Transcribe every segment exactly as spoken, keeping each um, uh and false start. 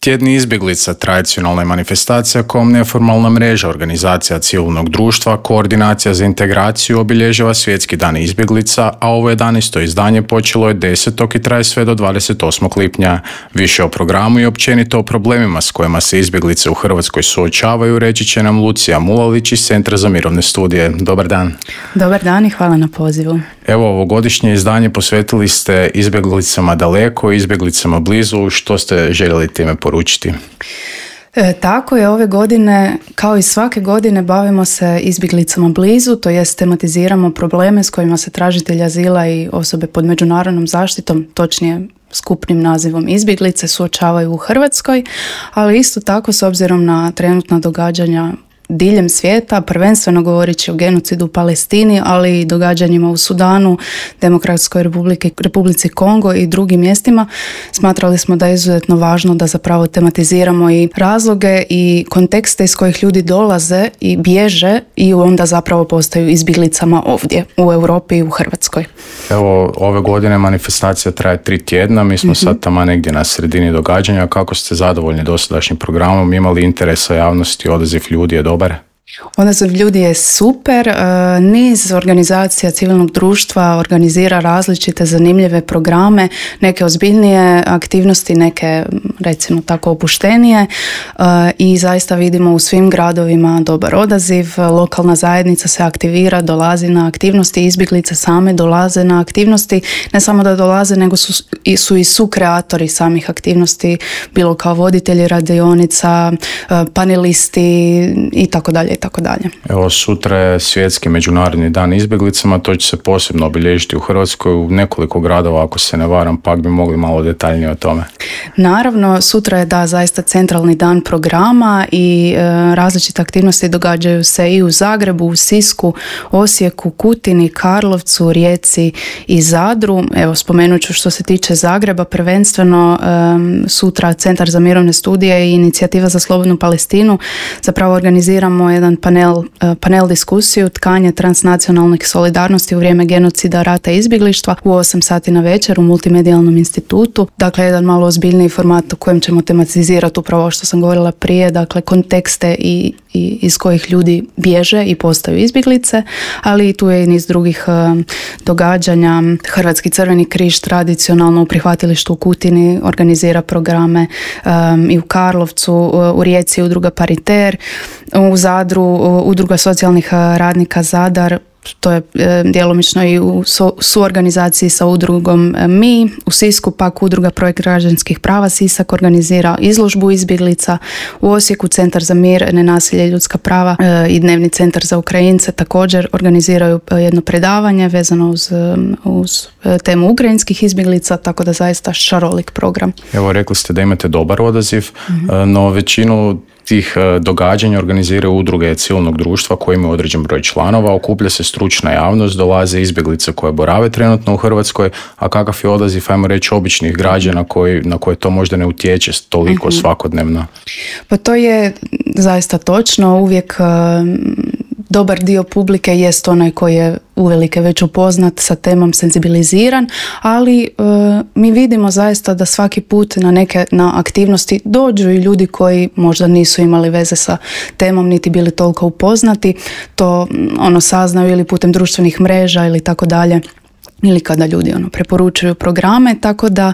Tjedni izbjeglica tradicionalna je manifestacija kojom neformalna mreža organizacija civilnog društva, koordinacija za integraciju obilježava Svjetski dan izbjeglica, a ovo jedanaesto izdanje počelo je desetog i traje sve do dvadeset osmog lipnja. Više o programu i općenito o problemima s kojima se izbjeglice u Hrvatskoj suočavaju reći će nam Lucija Mulalić iz Centra za mirovne studije. Dobar dan. Dobar dan i hvala na pozivu. Evo, ovogodišnje izdanje posvetili ste izbjeglicama daleko, izbjeglicama blizu. Što ste željeli time poručiti? E, tako je, ove godine, kao i svake godine, bavimo se izbjeglicama blizu, to jest tematiziramo probleme s kojima se tražitelji azila i osobe pod međunarodnom zaštitom, točnije skupnim nazivom izbjeglice, suočavaju u Hrvatskoj, ali isto tako s obzirom na trenutna događanja diljem svijeta, prvenstveno govoreći o genocidu u Palestini, ali i događanjima u Sudanu, Demokratskoj republiki, Republici Kongo i drugim mjestima, smatrali smo da je izuzetno važno da zapravo tematiziramo i razloge i kontekste iz kojih ljudi dolaze i bježe i onda zapravo postaju izbjeglicama ovdje u Europi i u Hrvatskoj. Evo, ove godine manifestacija traje tri tjedna, mi smo mm-hmm. sad tamo negdje na sredini događanja. Kako ste zadovoljni dosadašnjim programom? Imali interesa javnosti, odaziv ljudi je dobar? Odaziv ljudi je super. Niz organizacija civilnog društva organizira različite zanimljive programe, neke ozbiljnije aktivnosti, neke recimo tako opuštenije, i zaista vidimo u svim gradovima dobar odaziv. Lokalna zajednica se aktivira, dolazi na aktivnosti, izbjeglice same dolaze na aktivnosti, ne samo da dolaze, nego su, su i sukreatori samih aktivnosti, bilo kao voditelji radionica, panelisti i tako dalje. Tako dalje. Evo, sutra je Svjetski međunarodni dan izbjeglicama, to će se posebno obilježiti u Hrvatskoj u nekoliko gradova, ako se ne varam, pa bi mogli malo detaljnije o tome. Naravno, sutra je da zaista centralni dan programa i e, različite aktivnosti događaju se i u Zagrebu, u Sisku, Osijeku, Kutini, Karlovcu, Rijeci i Zadru. Evo, spomenut ću što se tiče Zagreba, prvenstveno e, sutra Centar za mirovne studije i Inicijativa za slobodnu Palestinu zapravo organiziramo jedan panel, panel diskusiju tkanje transnacionalnih solidarnosti u vrijeme genocida, rata i izbjeglištva u osam sati na večer u Multimedijalnom institutu. Dakle, jedan malo ozbiljniji format u kojem ćemo tematizirati upravo što sam govorila prije, dakle kontekste i, i iz kojih ljudi bježe i postaju izbjeglice, ali i tu je i niz drugih uh, događanja. Hrvatski Crveni križ tradicionalno u prihvatilištu u Kutini organizira programe um, i u Karlovcu, uh, u Rijeci udruga Pariter, u Zadru udruga socijalnih radnika Zadar, to je e, djelomično i u su, suorganizaciji sa udrugom e, Mi. U Sisku pak udruga Projekt građanskih prava Sisak organizira izložbu izbjeglica. U Osijeku Centar za mir, nenasilje i ljudska prava e, i Dnevni centar za Ukrajince također organiziraju e, jedno predavanje vezano uz, e, uz e, temu ukrajinskih izbjeglica, tako da zaista šarolik program. Evo, rekli ste da imate dobar odaziv, mm-hmm. no većinu tih događanja organiziraju udruge civilnog društva koji imaju određen broj članova, okuplja se stručna javnost, dolaze izbjeglice koje borave trenutno u Hrvatskoj, a kakav je odaziv, ajmo reći, običnih građana koji, na koje to možda ne utječe toliko mm-hmm. svakodnevno? Pa to je zaista točno, uvijek dobar dio publike jest onaj koji je uvelike već upoznat sa temom, senzibiliziran, ali e, mi vidimo zaista da svaki put na neke na aktivnosti dođu i ljudi koji možda nisu imali veze sa temom niti bili toliko upoznati, to ono saznaju ili putem društvenih mreža ili tako dalje, ili kada ljudi ono preporučuju programe, tako da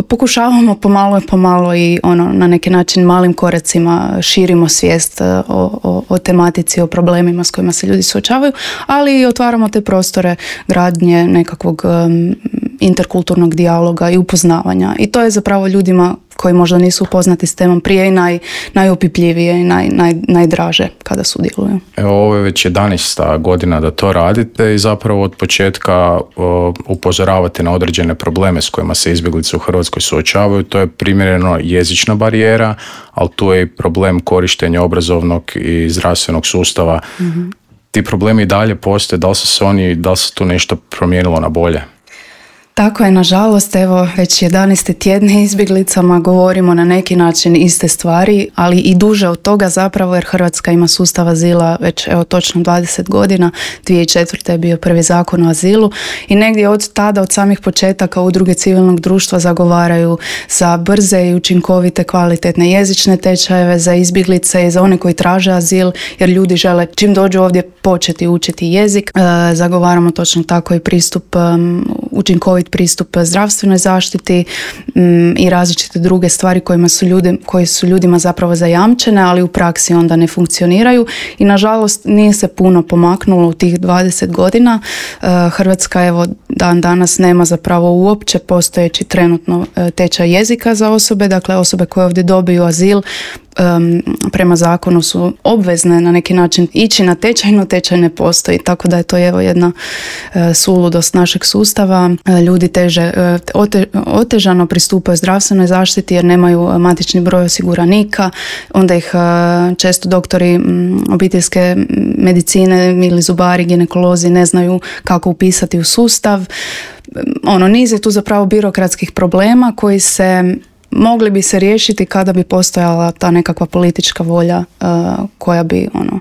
pokušavamo pomalo i pomalo i ono na neki način malim koracima širimo svijest o, o, o tematici, o problemima s kojima se ljudi suočavaju, ali i otvaramo te prostore gradnje nekakvog um, interkulturnog dijaloga i upoznavanja. I to je zapravo ljudima koji možda nisu upoznati s temom prije i naj, najopipljivije i naj, naj, najdraže kada sudjeluju. Evo, ovo je već jedanaesta godina da to radite i zapravo od početka o, upozoravate na određene probleme s kojima se izbjeglice u Hrvatskoj suočavaju. To je primjereno jezična barijera, ali tu je i problem korištenja obrazovnog i zdravstvenog sustava. Mm-hmm. Ti problemi i dalje postoje, da li su se oni, da li se tu nešto promijenilo na bolje? Tako je, nažalost, evo već jedanaeste tjedne izbjeglicama govorimo na neki način iste stvari, ali i duže od toga zapravo, jer Hrvatska ima sustav azila već evo točno dvadeset godina, dvije tisuće četvrte je bio prvi zakon o azilu i negdje od tada, od samih početaka udruge civilnog društva zagovaraju za brze i učinkovite kvalitetne jezične tečajeve za izbjeglice i za one koji traže azil, jer ljudi žele čim dođu ovdje početi učiti jezik. E, zagovaramo točno tako i pristup, um, učinkovit pristup zdravstvenoj zaštiti um, i različite druge stvari kojima su ljudi, koje su ljudima zapravo zajamčene, ali u praksi onda ne funkcioniraju i nažalost nije se puno pomaknulo u tih dvadeset godina. E, Hrvatska evo dan danas nema zapravo uopće postojeći trenutno tečaj jezika za osobe, dakle osobe koje ovdje dobiju azil Um, prema zakonu su obvezne na neki način ići na tečaj, no tečaj ne postoji, tako da je to evo jedna uh, suludost našeg sustava. Uh, ljudi teže, uh, ote, otežano pristupaju zdravstvenoj zaštiti jer nemaju matični broj osiguranika, onda ih uh, često doktori um, obiteljske medicine ili zubari, ginekolozi ne znaju kako upisati u sustav. Um, ono, niz je tu zapravo birokratskih problema koji se mogli bi se riješiti kada bi postojala ta nekakva politička volja uh, koja bi ono,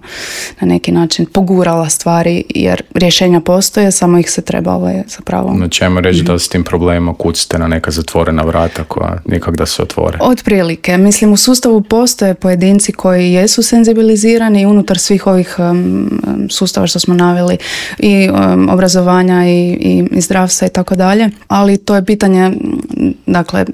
na neki način pogurala stvari, jer rješenja postoje, samo ih se treba ovaj, zapravo... No čemu reći mm-hmm. da s tim problemima kucite na neka zatvorena vrata koja nikak da se otvore? Otprilike. Mislim, u sustavu postoje pojedinci koji jesu senzibilizirani i unutar svih ovih um, sustava što smo naveli i um, obrazovanja i, i, i zdravstva i tako dalje, ali to je pitanje, dakle,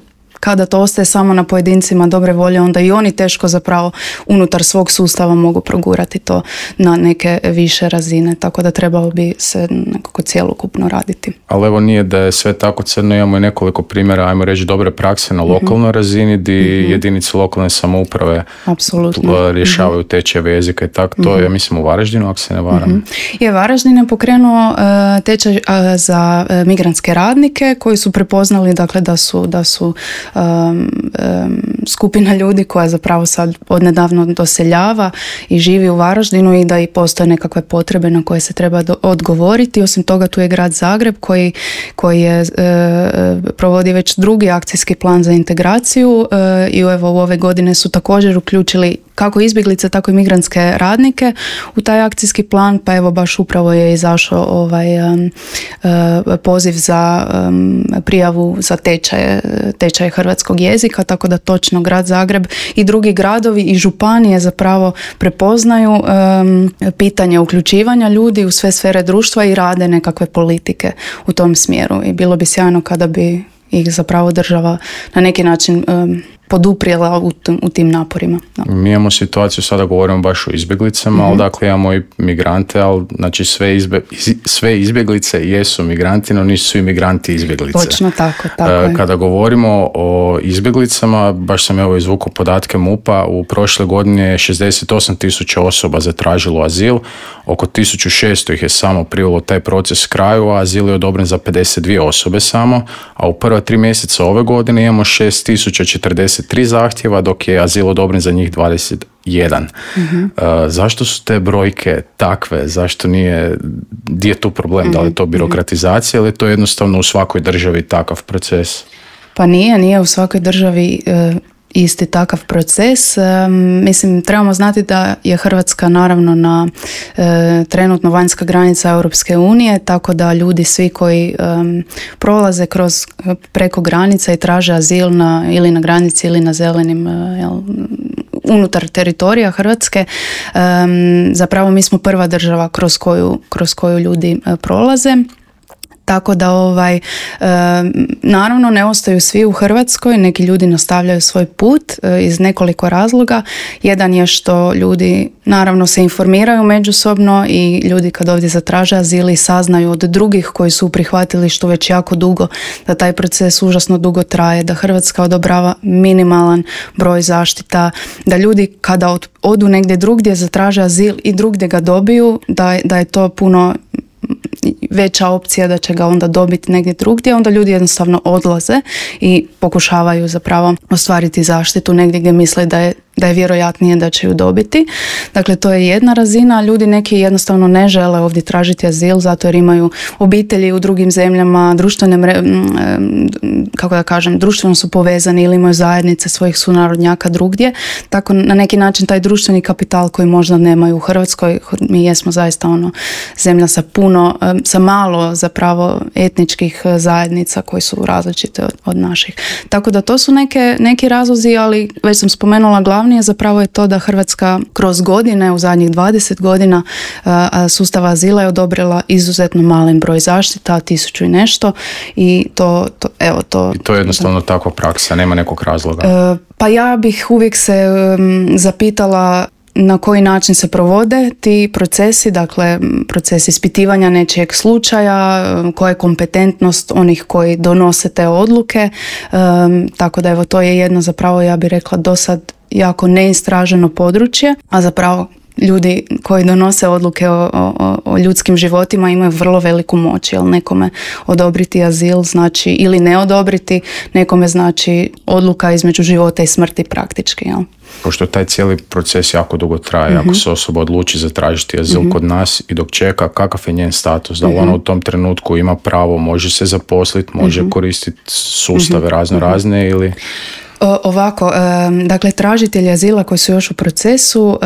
kada to ostaje samo na pojedincima dobre volje, onda i oni teško zapravo unutar svog sustava mogu progurati to na neke više razine, tako da trebalo bi se nekako cjelokupno raditi. Ali evo nije da je sve tako crno, imamo i nekoliko primjera, ajmo reći, dobre prakse na lokalnoj mm-hmm. razini gdje mm-hmm. jedinice lokalne samouprave apsolutno rješavaju mm-hmm. tečajeve jezika i tako, to mm-hmm. je mislim u Varaždinu, ako se ne varam. Mm-hmm. Je, Varaždin je pokrenuo uh, tečaj uh, za uh, migrantske radnike koji su prepoznali dakle da su, da su Um, um, skupina ljudi koja zapravo sad odnedavno doseljava i živi u Varaždinu i da i postoje nekakve potrebe na koje se treba do- odgovoriti. Osim toga tu je grad Zagreb koji, koji je, e, provodi već drugi akcijski plan za integraciju e, i evo u ove godine su također uključili kako izbjeglice, tako i migrantske radnike u taj akcijski plan, pa evo baš upravo je izašao ovaj um, uh, poziv za um, prijavu za tečaje, tečaje hrvatskog jezika, tako da točno grad Zagreb i drugi gradovi i županije zapravo prepoznaju um, pitanje uključivanja ljudi u sve sfere društva i rade nekakve politike u tom smjeru i bilo bi sjajno kada bi ih zapravo država na neki način um, poduprijela u, t- u tim naporima. Da. Mi imamo situaciju, sada govorimo baš o izbjeglicama, mm-hmm. ali dakle imamo i migrante, ali znači sve, izbe, sve izbjeglice jesu migranti, no nisu svi migranti izbjeglice. Točno tako, tako je. Kada govorimo o izbjeglicama, baš sam evo izvukao podatke MUP-a, u prošle godine je šezdeset osam tisuća osoba zatražilo azil, oko tisuću šesto ih je samo privelo taj proces kraju, a azil je odobren za pedeset dvije osobe samo, a u prva tri mjeseca ove godine imamo šest tisuća četrdeset tri zahtjeva, dok je azil odobren za njih dvadeset jedan. Mm-hmm. Uh, zašto su te brojke takve? Zašto nije, gdje je tu problem? Mm-hmm. Da li je to birokratizacija ili je to jednostavno u svakoj državi takav proces? Pa nije, nije u svakoj državi uh, isti takav proces. Um, mislim, trebamo znati da je Hrvatska naravno na uh, trenutno vanjska granica Europske unije, tako da ljudi svi koji um, prolaze kroz preko granica i traže azil na, ili na granici ili na zelenim uh, jel, unutar teritorija Hrvatske, um, zapravo mi smo prva država kroz koju, kroz koju ljudi uh, prolaze. Tako da ovaj, e, naravno ne ostaju svi u Hrvatskoj, neki ljudi nastavljaju svoj put e, iz nekoliko razloga. Jedan je što ljudi naravno se informiraju međusobno i ljudi kad ovdje zatraže azil i saznaju od drugih koji su prihvatili što već jako dugo, da taj proces užasno dugo traje, da Hrvatska odobrava minimalan broj zaštita, da ljudi kada od, odu negdje drugdje zatraže azil i drugdje ga dobiju, da, da je to puno veća opcija da će ga onda dobiti negdje drugdje, onda ljudi jednostavno odlaze i pokušavaju zapravo ostvariti zaštitu negdje gdje misle da je da je vjerojatnije da će ju dobiti. Dakle, to je jedna razina. Ljudi neki jednostavno ne žele ovdje tražiti azil zato jer imaju obitelji u drugim zemljama, društvene mre, kako da kažem, društveno su povezani ili imaju zajednice svojih sunarodnjaka drugdje. Tako na neki način taj društveni kapital koji možda nemaju u Hrvatskoj. Mi jesmo zaista ono zemlja sa puno, sa malo zapravo etničkih zajednica koji su različite od, od naših. Tako da to su neke, neki razlozi, ali već sam spomenula glavni je zapravo je to da Hrvatska kroz godine, u zadnjih dvadeset godina sustava azila je odobrila izuzetno malen broj zaštita, tisuću i nešto i to, to evo to... I to je jednostavno takva praksa, nema nekog razloga. E, pa ja bih uvijek se um, zapitala na koji način se provode ti procesi, dakle proces ispitivanja nečijeg slučaja, koja je kompetentnost onih koji donose te odluke, um, tako da evo to je jedno zapravo ja bih rekla do sad jako neistraženo područje, a zapravo ljudi koji donose odluke o, o, o ljudskim životima imaju vrlo veliku moć, jer nekome odobriti azil znači ili ne odobriti, nekome znači odluka između života i smrti praktički, jel? Pošto taj cijeli proces jako dugo traje, mm-hmm. ako se osoba odluči zatražiti azil mm-hmm. kod nas i dok čeka, kakav je njen status, da li mm-hmm. ona u tom trenutku ima pravo, može se zaposliti, može mm-hmm. koristiti sustave mm-hmm. razno razne ili... Ovako, dakle tražitelji azila koji su još u procesu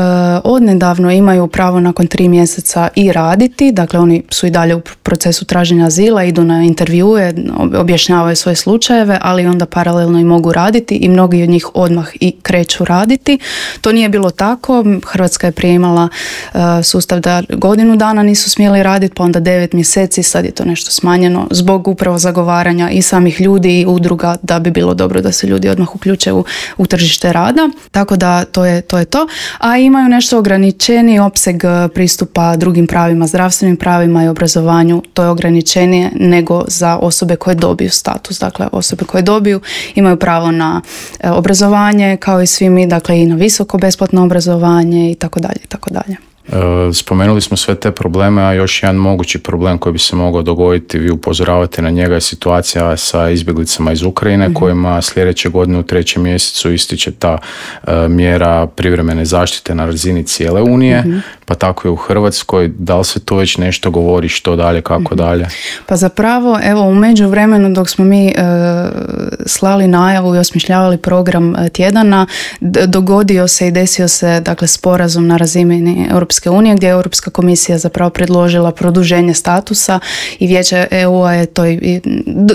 odnedavno imaju pravo nakon tri mjeseca i raditi, dakle oni su i dalje u procesu traženja azila, idu na intervjue, objašnjavaju svoje slučajeve, ali onda paralelno i mogu raditi i mnogi od njih odmah i kreću raditi. To nije bilo tako, Hrvatska je prije imala sustav da godinu dana nisu smjeli raditi, pa onda devet mjeseci, sad je to nešto smanjeno zbog upravo zagovaranja i samih ljudi i udruga da bi bilo dobro da se ljudi odmah uključe u, u tržište rada, tako da to je, to je to. A imaju nešto ograničeni opseg pristupa drugim pravima, zdravstvenim pravima i obrazovanju, to je ograničenije nego za osobe koje dobiju status. Dakle, osobe koje dobiju imaju pravo na obrazovanje kao i svi mi, dakle i na visoko besplatno obrazovanje i tako dalje, i tako dalje. Spomenuli smo sve te probleme, a još jedan mogući problem koji bi se mogao dogoditi, vi upozoravate na njega, je situacija sa izbjeglicama iz Ukrajine, mm-hmm. kojima sljedeće godine u trećem mjesecu ističe ta uh, mjera privremene zaštite na razini cijele Unije, mm-hmm. pa tako i u Hrvatskoj. Da li se to već nešto govori, što dalje, kako mm-hmm. dalje? Pa zapravo, evo, u međuvremenu dok smo mi uh, slali najavu i osmišljavali program tjedana, d- dogodio se i desio se, dakle, sporazum na razini Europske unije, gdje je Europska komisija zapravo predložila produženje statusa i Vijeće E U-a je to i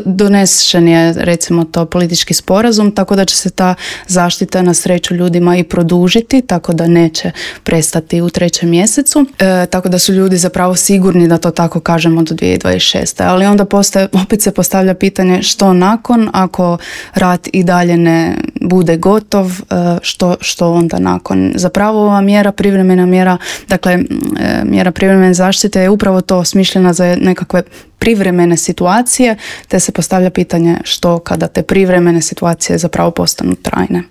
donesen je, recimo to, politički sporazum, tako da će se ta zaštita na sreću ljudima i produžiti, tako da neće prestati u trećem mjesecu, e, tako da su ljudi zapravo sigurni, da to tako kažemo, do dvije tisuće dvadeset šeste. Ali onda postaje, opet se postavlja pitanje što nakon, ako rat i dalje ne bude gotov, e, što, što onda nakon. Zapravo ova mjera, privremena mjera, dakle, mjera privremene zaštite je upravo to, smišljena za nekakve privremene situacije, te se postavlja pitanje što kada te privremene situacije zapravo postanu trajne.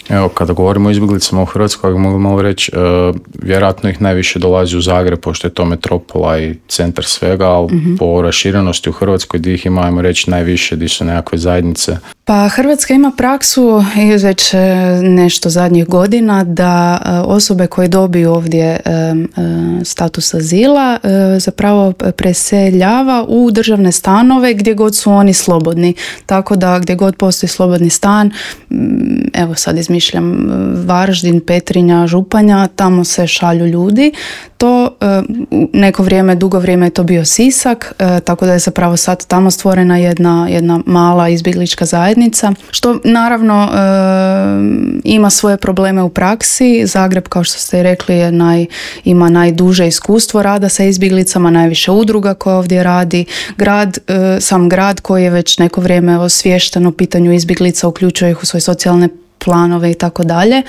Evo, kada govorimo o izbjeglicama u Hrvatskoj, mogu malo reći, uh, vjerojatno ih najviše dolazi u Zagreb, pošto je to metropola i centar svega, ali mm-hmm. po raširenosti u Hrvatskoj gdje ih ima, ajmo reći, najviše, gdje su nekakve zajednice. Pa Hrvatska ima praksu i već nešto zadnjih godina da osobe koje dobiju ovdje status azila zapravo preseljava u državne stanove gdje god su oni slobodni. Tako da gdje god postoji slobodni stan, evo sad izmišljam Varaždin, Petrinja, Županja, tamo se šalju ljudi. To neko vrijeme, dugo vrijeme je to bio Sisak, tako da je zapravo sad tamo stvorena jedna, jedna mala izbjeglička zajednica, što naravno ima svoje probleme u praksi. Zagreb, kao što ste rekli, je naj, ima najduže iskustvo rada sa izbjeglicama, najviše udruga koje ovdje radi. Grad, sam grad koji je već neko vrijeme osviješten o pitanju izbjeglica, uključuje ih u svoje socijalne planove i tako dalje.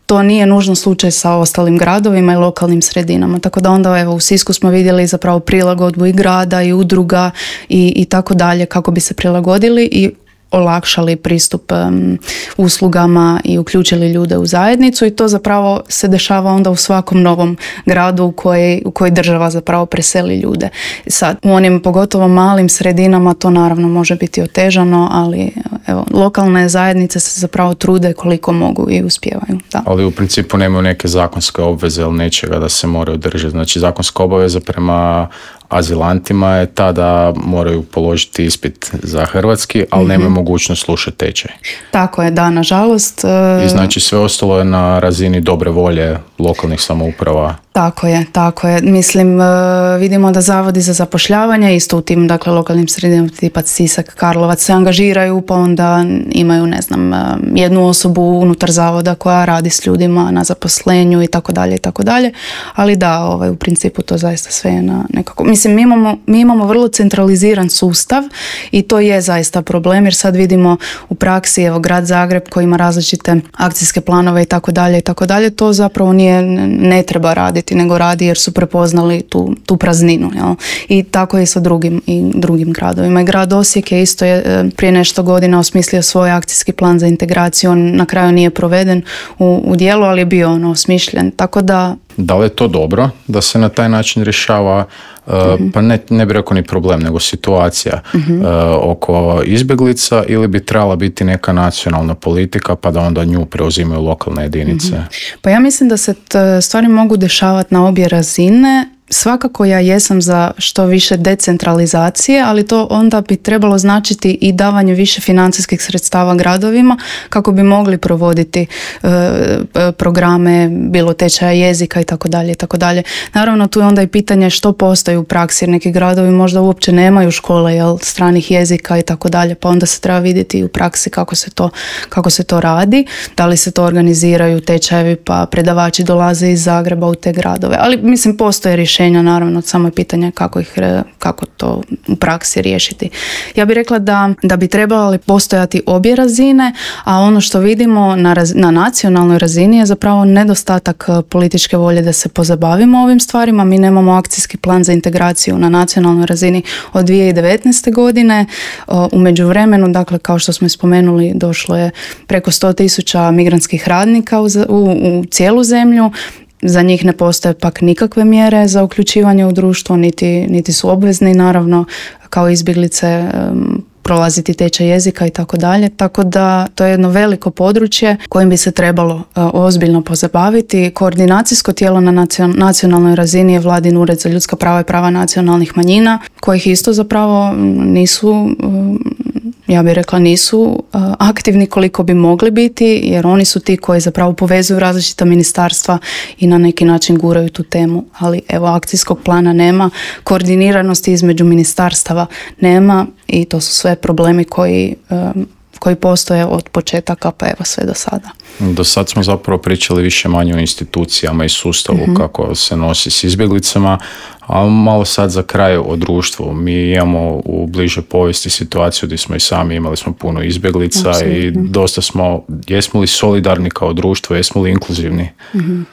To nije nužno slučaj sa ostalim gradovima i lokalnim sredinama. Tako da onda evo u Sisku smo vidjeli zapravo prilagodbu i grada i udruga i, i tako dalje kako bi se prilagodili i olakšali pristup um, uslugama i uključili ljude u zajednicu i to zapravo se dešava onda u svakom novom gradu u koji, u koji država zapravo preseli ljude. Sad, u onim pogotovo malim sredinama to naravno može biti otežano, ali evo, lokalne zajednice se zapravo trude koliko mogu i uspijevaju. Da. Ali u principu nemaju neke zakonske obveze ili nečega da se moraju držati. Znači zakonska obaveza prema azilantima je ta da moraju položiti ispit za hrvatski, ali mm-hmm. nemaju mogućnost slušati tečaj. Tako je, da, nažalost. I znači sve ostalo je na razini dobre volje lokalnih samouprava. Tako je, tako je. Mislim, vidimo da zavodi za zapošljavanje isto u tim, dakle, lokalnim sredinama tipa Sisak, Karlovac se angažiraju, pa onda imaju, ne znam, jednu osobu unutar zavoda koja radi s ljudima na zaposlenju i tako dalje i tako dalje. Ali da, ovaj, u principu to zaista sve je na nekako... Mislim, mi imamo, mi imamo vrlo centraliziran sustav i to je zaista problem, jer sad vidimo u praksi, evo, grad Zagreb koji ima različite akcijske planove i tako dalje i tako dalje, to zapravo nije, ne treba raditi, nego radi jer su prepoznali tu, tu prazninu. Jel? I tako je sa drugim, i drugim gradovima. I grad Osijek je isto je prije nešto godina osmislio svoj akcijski plan za integraciju. On na kraju nije proveden u, u dijelu, ali je bio ono osmišljen. Tako da... Da li je to dobro da se na taj način rješava, uh, uh-huh. pa ne, ne bi rekao ni problem, nego situacija uh-huh. uh, oko izbjeglica, ili bi trebala biti neka nacionalna politika pa da onda nju preuzimaju lokalne jedinice? Uh-huh. Pa ja mislim da se t- stvari mogu dešavati na obje razine. Svakako ja jesam za što više decentralizacije, ali to onda bi trebalo značiti i davanje više financijskih sredstava gradovima kako bi mogli provoditi e, programe, bilo tečaja jezika i tako dalje i tako dalje. Naravno tu je onda i pitanje što postoji u praksi, jer neki gradovi možda uopće nemaju škole, jel, stranih jezika i tako dalje, pa onda se treba vidjeti i u praksi kako se to, kako se to radi, da li se to organiziraju tečajevi pa predavači dolaze iz Zagreba u te gradove, ali mislim postoje rješenja. Naravno, samo je pitanje kako, ih, kako to u praksi riješiti. Ja bih rekla da, da bi trebali postojati obje razine, a ono što vidimo na, raz, na nacionalnoj razini je zapravo nedostatak političke volje da se pozabavimo ovim stvarima. Mi nemamo akcijski plan za integraciju na nacionalnoj razini od dvije tisuće devetnaeste. godine. U međuvremenu, dakle, kao što smo spomenuli, došlo je preko sto tisuća migrantskih radnika u, u, u cijelu zemlju. Za njih ne postoje pak nikakve mjere za uključivanje u društvo, niti, niti su obvezni, naravno, kao izbjeglice um, prolaziti tečaj jezika i tako dalje. Tako da to je jedno veliko područje kojim bi se trebalo uh, ozbiljno pozabaviti. Koordinacijsko tijelo na nacion- nacionalnoj razini je Vladin ured za ljudska prava i prava nacionalnih manjina, kojih isto zapravo nisu... Um, ja bih rekla nisu uh, aktivni koliko bi mogli biti, jer oni su ti koji zapravo povezuju različita ministarstva i na neki način guraju tu temu. Ali evo, akcijskog plana nema, koordiniranosti između ministarstava nema i to su sve problemi koji, um, koji postoje od početaka pa evo sve do sada. Do sad smo zapravo pričali više manje o institucijama i sustavu mm-hmm. kako se nosi s izbjeglicama, a malo sad za kraj o društvu. Mi imamo u bližoj povijesti situaciju gdje smo i sami imali smo puno izbjeglica. Absolutno. I dosta smo, jesmo li solidarni kao društvo, jesmo li inkluzivni? Mm-hmm.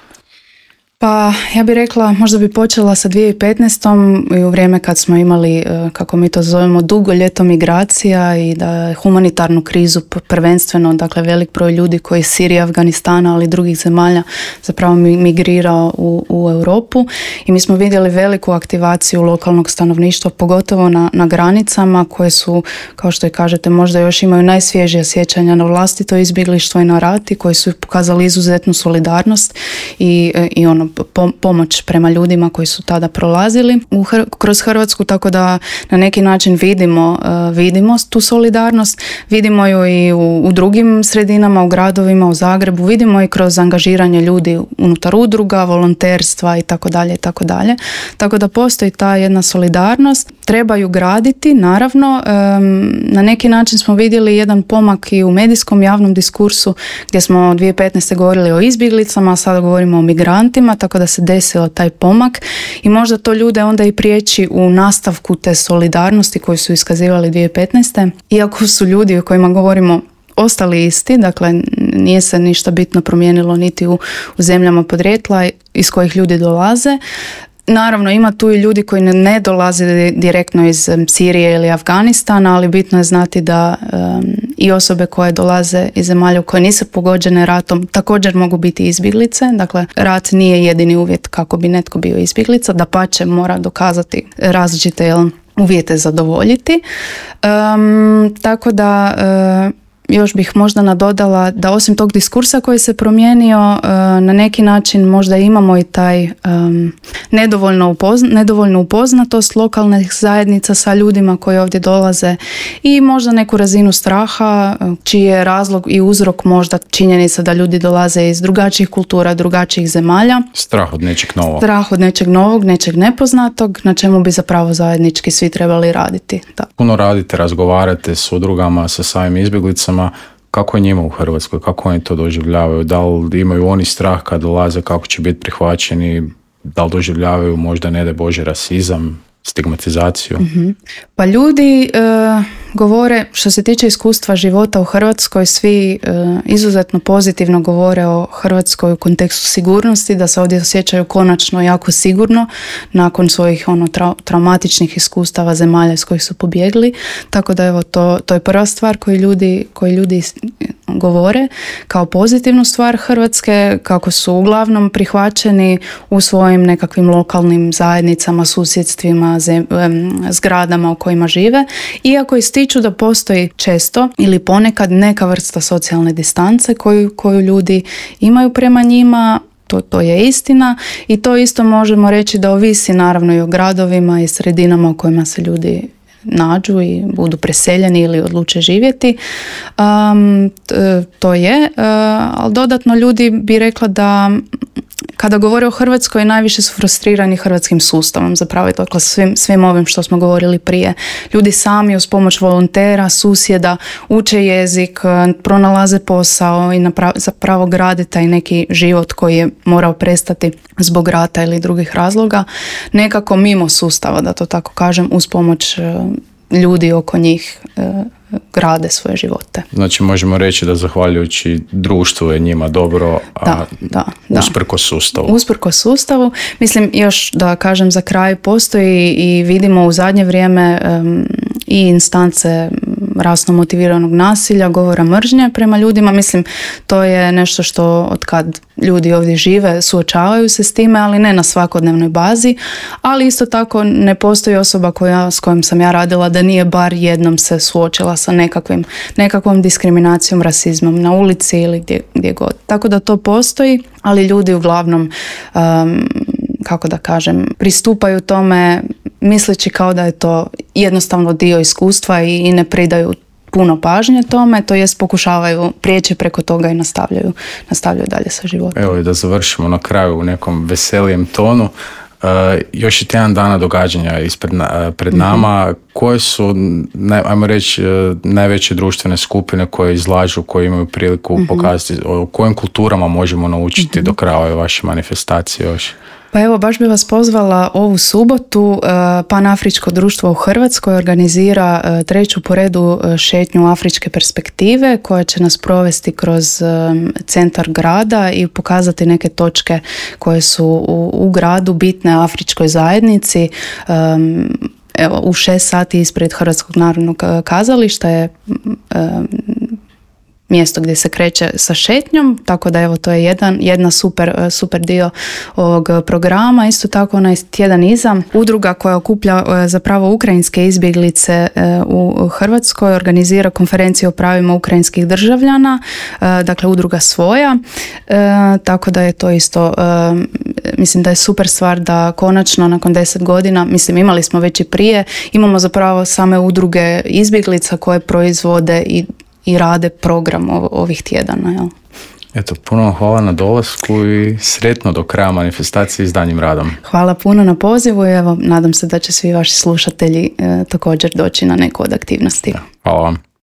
Pa ja bih rekla, možda bi počela sa dvije tisuće petnaeste. i u vrijeme kad smo imali, kako mi to zovemo, dugo ljeto migracija i da humanitarnu krizu prvenstveno, dakle velik broj ljudi koji iz Sirije, Afganistana, ali i drugih zemalja zapravo migrirao u, u Europu i mi smo vidjeli veliku aktivaciju lokalnog stanovništva, pogotovo na, na granicama koje su, kao što i kažete, možda još imaju najsvježija sjećanja na vlastito izbjeglištvo i na rat i koji su pokazali izuzetnu solidarnost i, i ono pomoć prema ljudima koji su tada prolazili u Hr- kroz Hrvatsku, tako da na neki način vidimo, uh, vidimo tu solidarnost, vidimo ju i u, u drugim sredinama, u gradovima, u Zagrebu, vidimo i kroz angažiranje ljudi unutar udruga, volonterstva i tako dalje i tako dalje. Tako da postoji ta jedna solidarnost. Treba ju graditi, naravno. Um, na neki način smo vidjeli jedan pomak i u medijskom javnom diskursu gdje smo dvije tisuće petnaeste. govorili o izbjeglicama, a sada govorimo o migrantima, tako da se desilo taj pomak i možda to ljude onda i priječi u nastavku te solidarnosti koju su iskazivali dvije tisuće petnaeste. Iako su ljudi o kojima govorimo ostali isti, dakle nije se ništa bitno promijenilo niti u, u zemljama podrijetla iz kojih ljudi dolaze, Naravno, ima tu i ljudi koji ne, ne dolaze direktno iz Sirije ili Afganistana, ali bitno je znati da um, i osobe koje dolaze iz zemalja koje nisu pogođene ratom također mogu biti izbjeglice. Dakle, rat nije jedini uvjet kako bi netko bio izbjeglica, dapače mora dokazati različite jel, uvjete zadovoljiti. Um, tako da uh, još bih možda nadodala da osim tog diskursa koji se promijenio, uh, na neki način možda imamo i taj um, nedovoljno, upozna, nedovoljno upoznatost lokalnih zajednica sa ljudima koji ovdje dolaze i možda neku razinu straha, čiji je razlog i uzrok možda činjenica da ljudi dolaze iz drugačijih kultura, drugačijih zemalja. Strah od nečeg novog. Strah od nečeg novog, nečeg nepoznatog, na čemu bi zapravo zajednički svi trebali raditi. Da. Puno radite, razgovarate s udrugama, sa samim izbjeglicama. Kako je njima u Hrvatskoj? Kako oni to doživljavaju? Da li imaju oni strah kad dolaze, kako će biti prihvaćeni? Da li doživljavaju možda, ne daj Bože, rasizam, stigmatizaciju? Mm-hmm. Pa ljudi e, govore, što se tiče iskustva života u Hrvatskoj, svi e, izuzetno pozitivno govore o Hrvatskoj u kontekstu sigurnosti, da se ovdje osjećaju konačno jako sigurno nakon svojih ono, tra- traumatičnih iskustava zemalja iz kojih su pobjegli. Tako da evo, to, to je prva stvar koju ljudi, koju ljudi govore kao pozitivnu stvar Hrvatske, kako su uglavnom prihvaćeni u svojim nekakvim lokalnim zajednicama, susjedstvima, zem, zgradama u kojima žive, iako ističu da postoji često ili ponekad neka vrsta socijalne distance koju, koju ljudi imaju prema njima. To, to je istina i to isto možemo reći da ovisi naravno i o gradovima i sredinama u kojima se ljudi nađu i budu preseljeni ili odluče živjeti. Um, t, to je, uh, ali dodatno ljudi bi rekla da kada govore o Hrvatskoj najviše su frustrirani hrvatskim sustavom, zapravo dakle, svim, svim ovim što smo govorili prije. Ljudi sami uz pomoć volontera, susjeda uče jezik, pronalaze posao i naprav, zapravo grade taj neki život koji je morao prestati zbog rata ili drugih razloga, nekako mimo sustava, da to tako kažem, uz pomoć ljudi oko njih grade svoje živote. Znači možemo reći da zahvaljujući društvu je njima dobro, a da, da, da. usprkos sustavu. Usprkos sustavu. Mislim, još da kažem za kraj, postoji i vidimo u zadnje vrijeme um, i instance rasno motiviranog nasilja, govora mržnje prema ljudima. Mislim, to je nešto što od kad ljudi ovdje žive suočavaju se s time, ali ne na svakodnevnoj bazi. Ali isto tako ne postoji osoba koja, s kojom sam ja radila da nije bar jednom se suočila sa nekakvim, nekakvom diskriminacijom, rasizmom na ulici ili gdje, gdje god. Tako da to postoji, ali ljudi uglavnom, um, kako da kažem, pristupaju tome misleći kao da je to jednostavno dio iskustva i, i ne pridaju puno pažnje tome, to jest pokušavaju prijeći preko toga i nastavljaju, nastavljaju dalje sa životom. Evo i da završimo na kraju u nekom veselijem tonu. Uh, još je tjedan dana događanja ispred na, pred nama. Mm-hmm. Koje su, ne, ajmo reći, najveće društvene skupine koje izlažu, koje imaju priliku mm-hmm. pokazati o kojim kulturama možemo naučiti mm-hmm. do kraja ove vaše manifestacije još? Pa evo, baš bi vas pozvala ovu subotu. Panafričko društvo u Hrvatskoj organizira treću po redu šetnju Afričke perspektive koja će nas provesti kroz centar grada i pokazati neke točke koje su u, u gradu bitne afričkoj zajednici. Evo, u šest sati ispred Hrvatskog narodnog kazališta je mjesto gdje se kreće sa šetnjom, tako da evo to je jedan, jedna super, super dio ovog programa. Isto tako onaj tjedan iza udruga koja okuplja zapravo ukrajinske izbjeglice u Hrvatskoj organizira konferenciju o pravima ukrajinskih državljana, dakle udruga Svoja, tako da je to isto, mislim da je super stvar da konačno nakon deset godina, mislim imali smo već i prije, imamo zapravo same udruge izbjeglica koje proizvode i i rade program ovih tjedana. Jel? Eto, puno hvala na dolasku i sretno do kraja manifestacije s daljnjim radom. Hvala puno na pozivu i evo, nadam se da će svi vaši slušatelji e, također doći na neku od aktivnosti. Da, hvala vam.